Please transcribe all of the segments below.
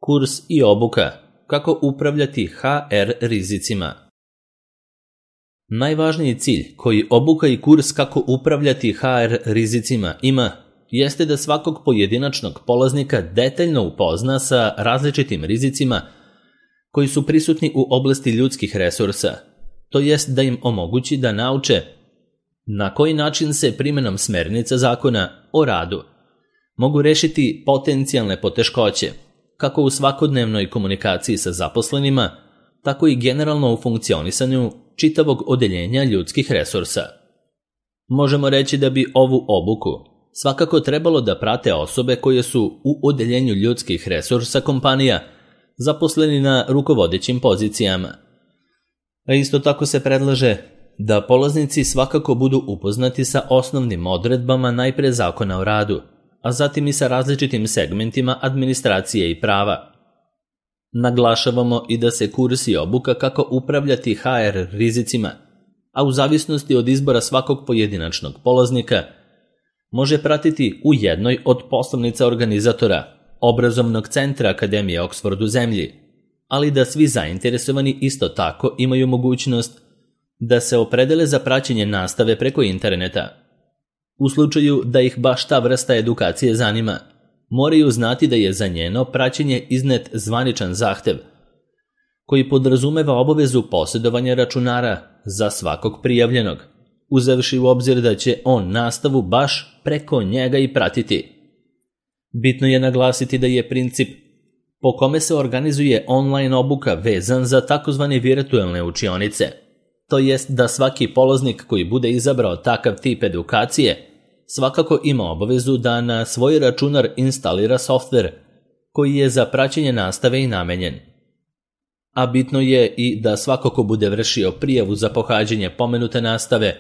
Kurs i obuka. Kako upravljati HR rizicima. Najvažniji cilj koji obuka i kurs kako upravljati HR rizicima ima jeste da svakog pojedinačnog polaznika detaljno upozna sa različitim rizicima koji su prisutni u oblasti ljudskih resursa, to jest da im omogući da nauče na koji način se primjenom smernica zakona o radu mogu rešiti potencijalne poteškoće, kako u svakodnevnoj komunikaciji sa zaposlenima, tako i generalno u funkcionisanju čitavog odeljenja ljudskih resursa. Možemo reći da bi ovu obuku svakako trebalo da prate osobe koje su u odeljenju ljudskih resursa kompanija zaposleni na rukovodećim pozicijama. A isto tako se predlaže da polaznici svakako budu upoznati sa osnovnim odredbama najpre zakona o radu, a zatim i sa različitim segmentima administracije i prava. Naglašavamo i da se kurs i obuka kako upravljati HR rizicima, a u zavisnosti od izbora svakog pojedinačnog polaznika, može pratiti u jednoj od poslovnica organizatora, obrazovnog centra Akademije Oxford u zemlji, ali da svi zainteresovani isto tako imaju mogućnost da se opredele za praćenje nastave preko interneta. U slučaju da ih baš ta vrsta edukacije zanima, moraju znati da je za njeno praćenje iznet zvaničan zahtev, koji podrazumeva obavezu posjedovanja računara za svakog prijavljenog, uzevši u obzir da će on nastavu baš preko njega i pratiti. Bitno je naglasiti da je princip po kome se organizuje online obuka vezan za takozvane virtualne učionice, to jest da svaki polaznik koji bude izabrao takav tip edukacije svakako ima obavezu da na svoj računar instalira softver koji je za praćenje nastave i namenjen. A bitno je i da svako ko bude vršio prijavu za pohađanje pomenute nastave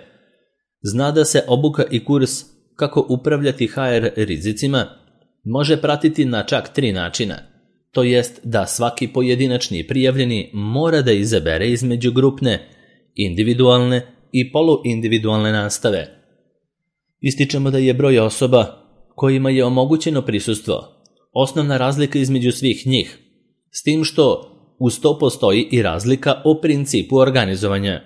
zna da se obuka i kurs kako upravljati HR rizicima može pratiti na čak 3 načina, to jest da svaki pojedinačni prijavljeni mora da izabere između grupne, individualne i poluindividualne nastave. Ističemo da je broj osoba kojima je omogućeno prisustvo osnovna razlika između svih njih, s tim što uz to postoji i razlika o principu organizovanja.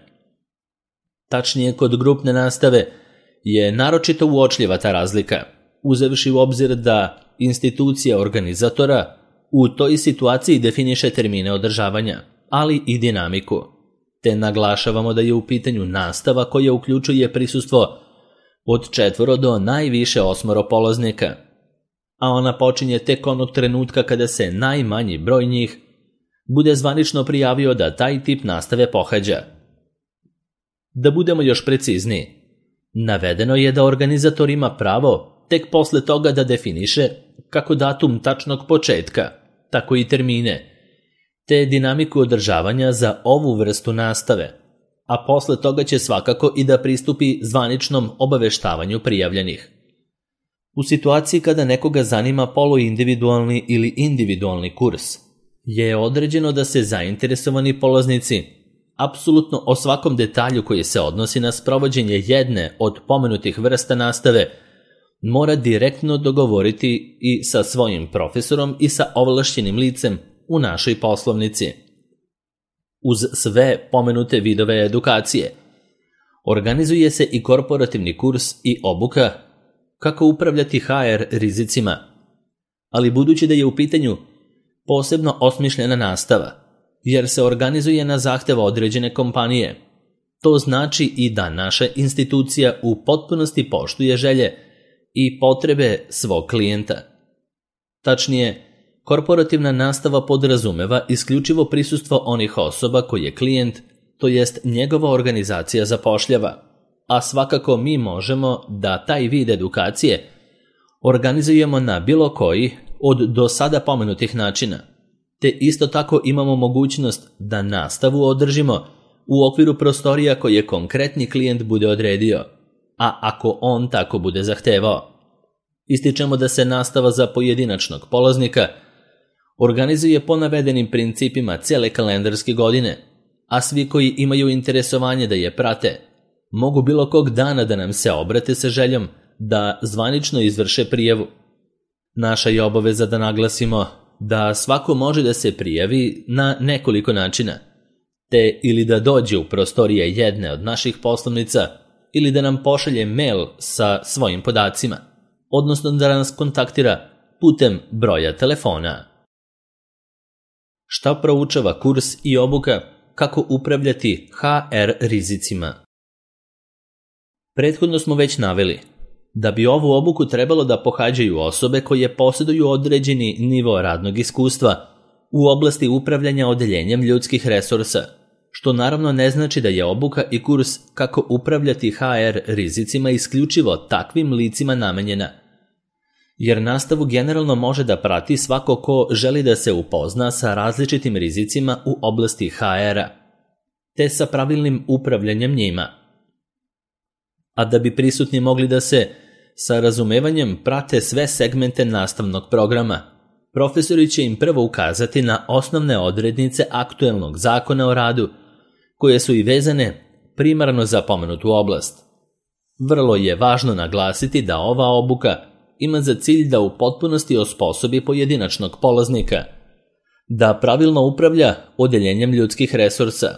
Tačnije, kod grupne nastave je naročito uočljiva ta razlika, uzevši u obzir da institucija organizatora u toj situaciji definiše termine održavanja, ali i dinamiku, te naglašavamo da je u pitanju nastava koja uključuje prisustvo od 4 do najviše 8 polaznika, a ona počinje tek onog trenutka kada se najmanji broj njih bude zvanično prijavio da taj tip nastave pohađa. Da budemo još precizniji, navedeno je da organizator ima pravo tek posle toga da definiše kako datum tačnog početka, tako i termine, te dinamiku održavanja za ovu vrstu nastave, a posle toga će svakako i da pristupi zvaničnom obaveštavanju prijavljenih. U situaciji kada nekoga zanima poluindividualni ili individualni kurs, je određeno da se zainteresovani polaznici apsolutno o svakom detalju koji se odnosi na sprovođenje jedne od pomenutih vrsta nastave mora direktno dogovoriti i sa svojim profesorom i sa ovlašćenim licem u našoj poslovnici. Uz sve pomenute vidove edukacije, organizuje se i korporativni kurs i obuka kako upravljati HR rizicima, ali budući da je u pitanju posebno osmišljena nastava, jer se organizuje na zahtev određene kompanije, to znači i da naša institucija u potpunosti poštuje želje i potrebe svog klijenta. Tačnije, korporativna nastava podrazumeva isključivo prisustvo onih osoba koje klijent, to jest njegova organizacija, zapošljava, a svakako mi možemo da taj vid edukacije organizujemo na bilo koji od do sada pomenutih načina, te isto tako imamo mogućnost da nastavu održimo u okviru prostorija koje konkretni klijent bude odredio, a ako on tako bude zahtevao. Ističemo da se nastava za pojedinačnog polaznika organizuje po navedenim principima cijele kalendarske godine, a svi koji imaju interesovanje da je prate mogu bilo kog dana da nam se obrate sa željom da zvanično izvrše prijavu. Naša je obaveza da naglasimo da svako može da se prijavi na nekoliko načina, te ili da dođe u prostorije jedne od naših poslovnica ili da nam pošalje mail sa svojim podacima, odnosno da nas kontaktira putem broja telefona. Šta proučava kurs i obuka kako upravljati HR rizicima? Prethodno smo već naveli da bi ovu obuku trebalo da pohađaju osobe koje posjeduju određeni nivo radnog iskustva u oblasti upravljanja odeljenjem ljudskih resursa, što naravno ne znači da je obuka i kurs kako upravljati HR rizicima isključivo takvim licima namenjena, jer nastavu generalno može da prati svako ko želi da se upozna sa različitim rizicima u oblasti HR-a, te sa pravilnim upravljanjem njima. A da bi prisutni mogli da se sa razumevanjem prate sve segmente nastavnog programa, profesori će im prvo ukazati na osnovne odrednice aktuelnog zakona o radu, koje su i vezane primarno za pomenutu oblast. Vrlo je važno naglasiti da ova obuka ima za cilj da u potpunosti osposobi pojedinačnog polaznika, da pravilno upravlja odeljenjem ljudskih resursa,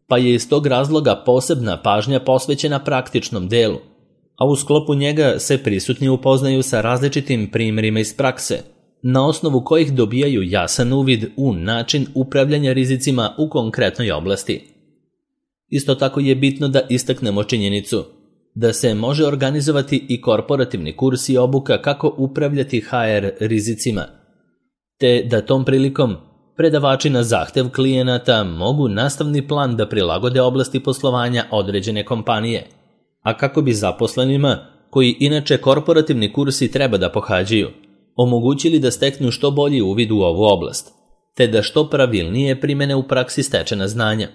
pa je iz tog razloga posebna pažnja posvećena praktičnom delu, a u sklopu njega se prisutni upoznaju sa različitim primjerima iz prakse, na osnovu kojih dobijaju jasan uvid u način upravljanja rizicima u konkretnoj oblasti. Isto tako je bitno da istaknemo činjenicu da se može organizovati i korporativni kurs i obuka kako upravljati HR rizicima, te da tom prilikom predavači na zahtev klijenata mogu nastavni plan da prilagode oblasti poslovanja određene kompanije, a kako bi zaposlenima, koji inače korporativni kursi treba da pohađaju, omogućili da steknu što bolji uvid u ovu oblast, te da što pravilnije primene u praksi stečena znanja.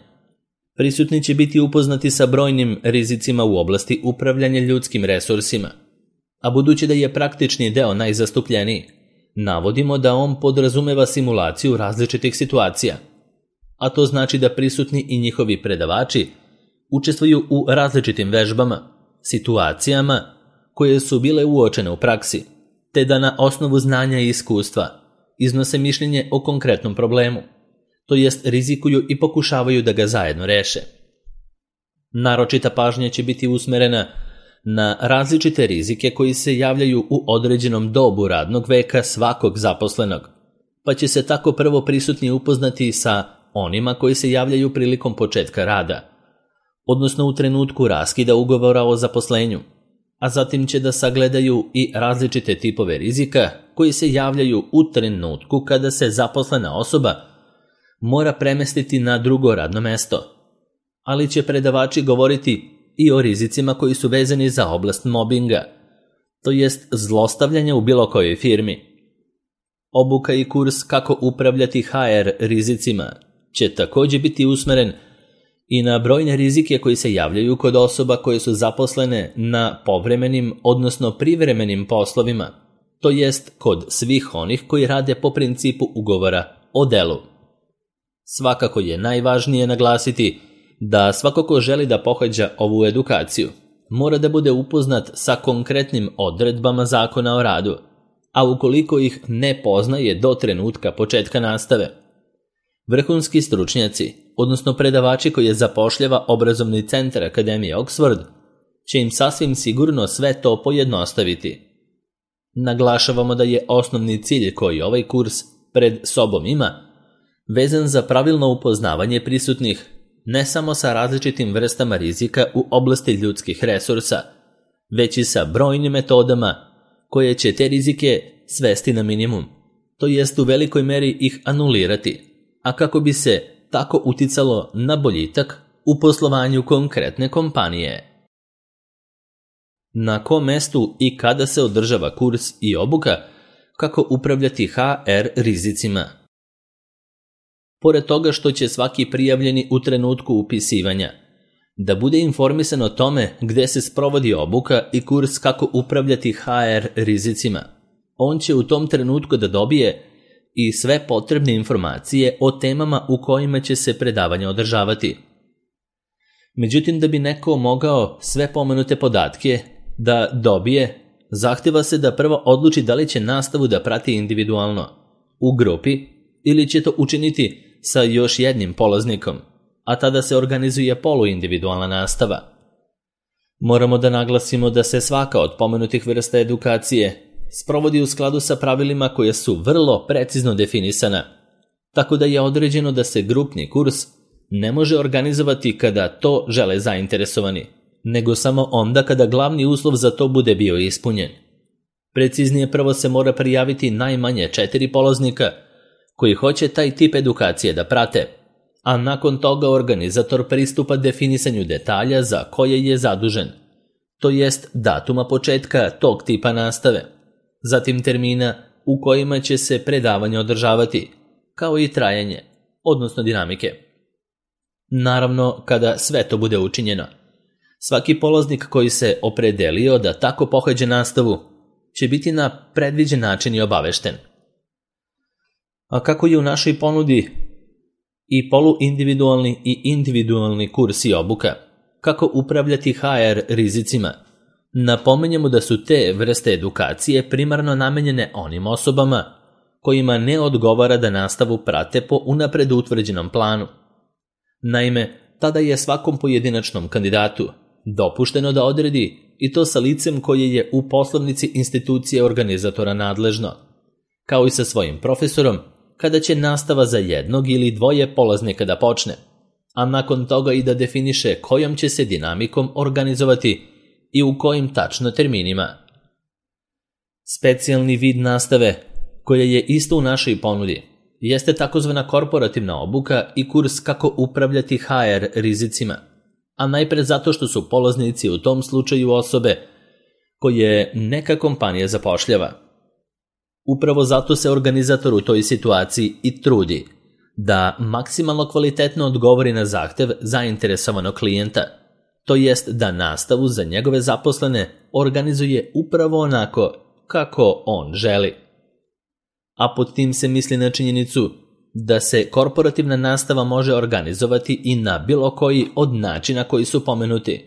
Prisutni će biti upoznati sa brojnim rizicima u oblasti upravljanja ljudskim resursima, a budući da je praktični deo najzastupljeniji, navodimo da on podrazumeva simulaciju različitih situacija, a to znači da prisutni i njihovi predavači učestvuju u različitim vežbama, situacijama koje su bile uočene u praksi, te da na osnovu znanja i iskustva iznose mišljenje o konkretnom problemu, to jest rizikuju i pokušavaju da ga zajedno reše. Naročita pažnja će biti usmerena na različite rizike koji se javljaju u određenom dobu radnog veka svakog zaposlenog, pa će se tako prvo prisutni upoznati sa onima koji se javljaju prilikom početka rada, odnosno u trenutku raskida ugovora o zaposlenju, a zatim će da sagledaju i različite tipove rizika koji se javljaju u trenutku kada se zaposlena osoba mora premestiti na drugo radno mesto, ali će predavači govoriti i o rizicima koji su vezani za oblast mobinga, to jest zlostavljanja u bilo kojoj firmi. Obuka i kurs kako upravljati HR rizicima će također biti usmeren i na brojne rizike koji se javljaju kod osoba koje su zaposlene na povremenim, odnosno privremenim poslovima, to jest kod svih onih koji rade po principu ugovora o delu. Svakako je najvažnije naglasiti da svako ko želi da pohađa ovu edukaciju mora da bude upoznat sa konkretnim odredbama zakona o radu, a ukoliko ih ne poznaje do trenutka početka nastave, vrhunski stručnjaci, odnosno predavači koje zapošljava obrazovni centar Akademije Oxford, će im sasvim sigurno sve to pojednostaviti. Naglašavamo da je osnovni cilj koji ovaj kurs pred sobom ima vezan za pravilno upoznavanje prisutnih ne samo sa različitim vrstama rizika u oblasti ljudskih resursa, već i sa brojnim metodama koje će te rizike svesti na minimum, to jest u velikoj meri ih anulirati, a kako bi se tako uticalo na boljitak u poslovanju konkretne kompanije. Na kom mestu i kada se održava kurs i obuka kako upravljati HR rizicima? Pored toga što će svaki prijavljeni u trenutku upisivanja da bude informisan o tome gde se sprovodi obuka i kurs kako upravljati HR rizicima, on će u tom trenutku da dobije i sve potrebne informacije o temama u kojima će se predavanja održavati. Međutim, da bi neko mogao sve pomenute podatke da dobije, zahtjeva se da prvo odluči da li će nastavu da prati individualno, u grupi ili će to učiniti sa još jednim polaznikom, a tada se organizuje poluindividualna nastava. Moramo da naglasimo da se svaka od pomenutih vrsta edukacije sprovodi u skladu sa pravilima koje su vrlo precizno definisana, tako da je određeno da se grupni kurs ne može organizovati kada to žele zainteresovani, nego samo onda kada glavni uslov za to bude bio ispunjen. Preciznije, prvo se mora prijaviti najmanje 4 polaznika koji hoće taj tip edukacije da prate, a nakon toga organizator pristupa definisanju detalja za koje je zadužen, to jest datuma početka tog tipa nastave, zatim termina u kojima će se predavanje održavati, kao i trajanje, odnosno dinamike. Naravno, kada sve to bude učinjeno, svaki polaznik koji se opredelio da tako pohađa nastavu će biti na predviđen način i obavešten. A kako je u našoj ponudi i poluindividualni i individualni kurs i obuka, kako upravljati HR rizicima, napominjemo da su te vrste edukacije primarno namenjene onim osobama kojima ne odgovara da nastavu prate po unapred utvrđenom planu. Naime, tada je svakom pojedinačnom kandidatu dopušteno da odredi i to sa licem koje je u poslovnici institucije organizatora nadležno, kao i sa svojim profesorom kada će nastava za jednog ili dvoje polaznika da počne, a nakon toga i da definiše kojom će se dinamikom organizovati i u kojim tačno terminima. Specijalni vid nastave, koja je isto u našoj ponudi, jeste takozvana korporativna obuka i kurs kako upravljati HR rizicima, a najpre zato što su polaznici u tom slučaju osobe koje neka kompanija zapošljava. Upravo zato se organizator u toj situaciji i trudi da maksimalno kvalitetno odgovori na zahtev zainteresovanog klijenta, to jest da nastavu za njegove zaposlene organizuje upravo onako kako on želi. A pod tim se misli na činjenicu da se korporativna nastava može organizovati i na bilo koji od načina koji su pomenuti,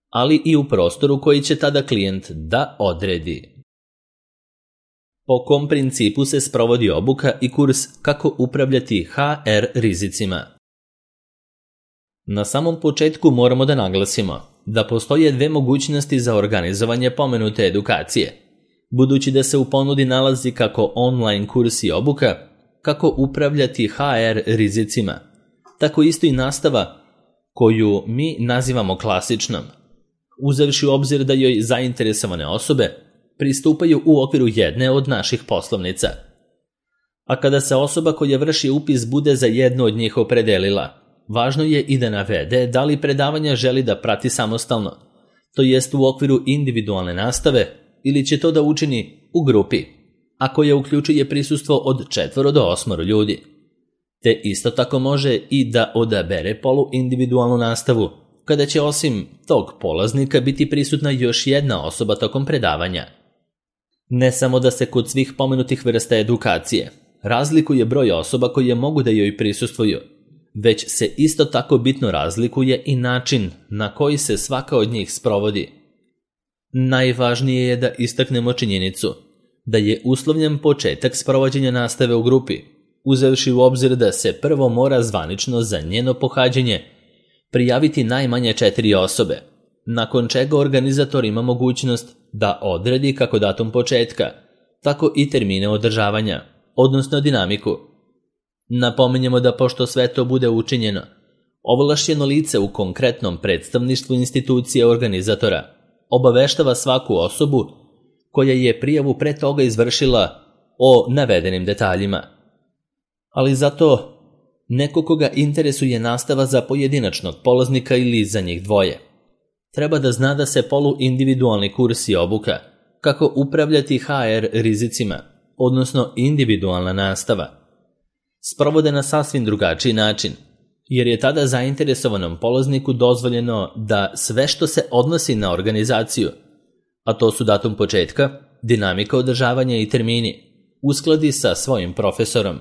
ali i u prostoru koji će tada klijent da odredi. Po kom principu se sprovodi obuka i kurs kako upravljati HR rizicima? Na samom početku moramo da naglasimo da postoje 2 mogućnosti za organizovanje pomenute edukacije, budući da se u ponudi nalazi kako online kurs i obuka kako upravljati HR rizicima, tako isto i nastava koju mi nazivamo klasičnom, uzevši u obzir da joj zainteresovane osobe pristupaju u okviru jedne od naših poslovnica. A kada se osoba koja vrši upis bude za jednu od njih opredelila, važno je i da navede da li predavanja želi da prati samostalno, to jest u okviru individualne nastave, ili će to da učini u grupi, a koja uključuje prisustvo od 4 do 8 ljudi. Te isto tako može i da odabere poluindividualnu nastavu, kada će osim tog polaznika biti prisutna još jedna osoba tokom predavanja. Ne samo da se kod svih pomenutih vrsta edukacije razlikuje broj osoba koje mogu da joj prisustvuju, već se isto tako bitno razlikuje i način na koji se svaka od njih sprovodi. Najvažnije je da istaknemo činjenicu da je uslovljen početak sprovođenja nastave u grupi, uzevši u obzir da se prvo mora zvanično za njeno pohađanje prijaviti najmanje 4 osobe, nakon čega organizator ima mogućnost da odredi kako datum početka, tako i termine održavanja, odnosno dinamiku. Napominjemo da pošto sve to bude učinjeno, ovlašćeno lice u konkretnom predstavništvu institucije organizatora obaveštava svaku osobu koja je prijavu pre toga izvršila o navedenim detaljima. Ali zato neko koga interesuje nastava za pojedinačnog polaznika ili za njih dvoje treba da zna da se poluindividualni kurs i obuka kako upravljati HR rizicima, odnosno individualna nastava, sprovode na sasvim drugačiji način, jer je tada zainteresovanom polazniku dozvoljeno da sve što se odnosi na organizaciju, a to su datum početka, dinamika održavanja i termini, uskladi sa svojim profesorom.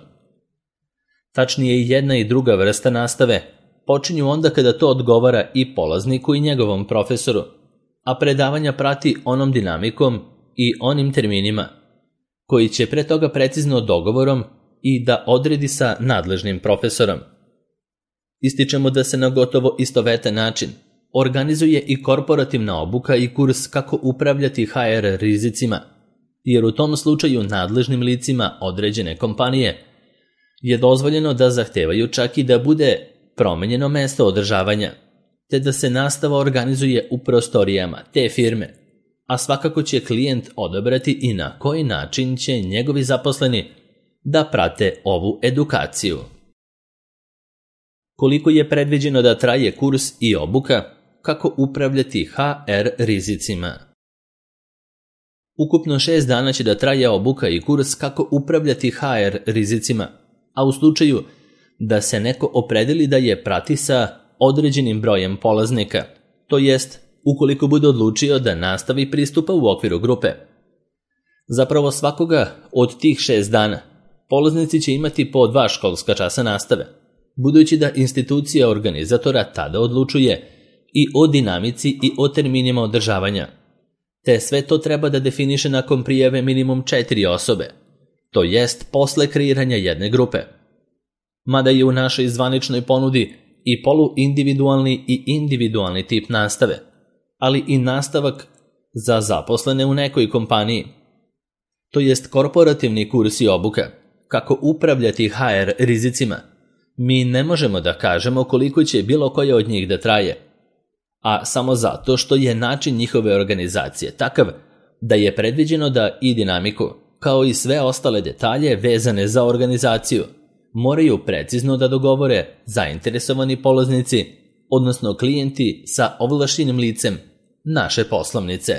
Tačnije, jedna i druga vrsta nastave počinju onda kada to odgovara i polazniku i njegovom profesoru, a predavanja prati onom dinamikom i onim terminima koji će pre toga precizno dogovorom i da odredi sa nadležnim profesorom. Ističemo da se na gotovo istovetan način organizuje i korporativna obuka i kurs kako upravljati HR rizicima, jer u tom slučaju nadležnim licima određene kompanije je dozvoljeno da zahtevaju čak i da bude promenjeno mesto održavanja, te da se nastava organizuje u prostorijama te firme, a svakako će klijent odabrati i na koji način će njegovi zaposleni da prate ovu edukaciju. Koliko je predviđeno da traje kurs i obuka kako upravljati HR rizicima? Ukupno 6 dana će da traje obuka i kurs kako upravljati HR rizicima, a u slučaju da se neko opredeli da je prati sa određenim brojem polaznika, to jest ukoliko bude odlučio da nastavi pristupa u okviru grupe. Zapravo svakoga od tih 6 dana polaznici će imati po 2 školska časa nastave, budući da institucija organizatora tada odlučuje i o dinamici i o terminima održavanja, te sve to treba da definiše nakon prijave minimum 4 osobe, to jest posle kreiranja jedne grupe. Mada je u našoj zvaničnoj ponudi i poluindividualni i individualni tip nastave, ali i nastavak za zaposlene u nekoj kompaniji, to jest korporativni kurs i obuka, kako upravljati HR rizicima. Mi ne možemo da kažemo koliko će bilo koja od njih da traje, a samo zato što je način njihove organizacije takav da je predviđeno da i dinamiku, kao i sve ostale detalje vezane za organizaciju, moraju precizno da dogovore zainteresovani polaznici, odnosno klijenti sa ovlašćenim licem naše poslovnice.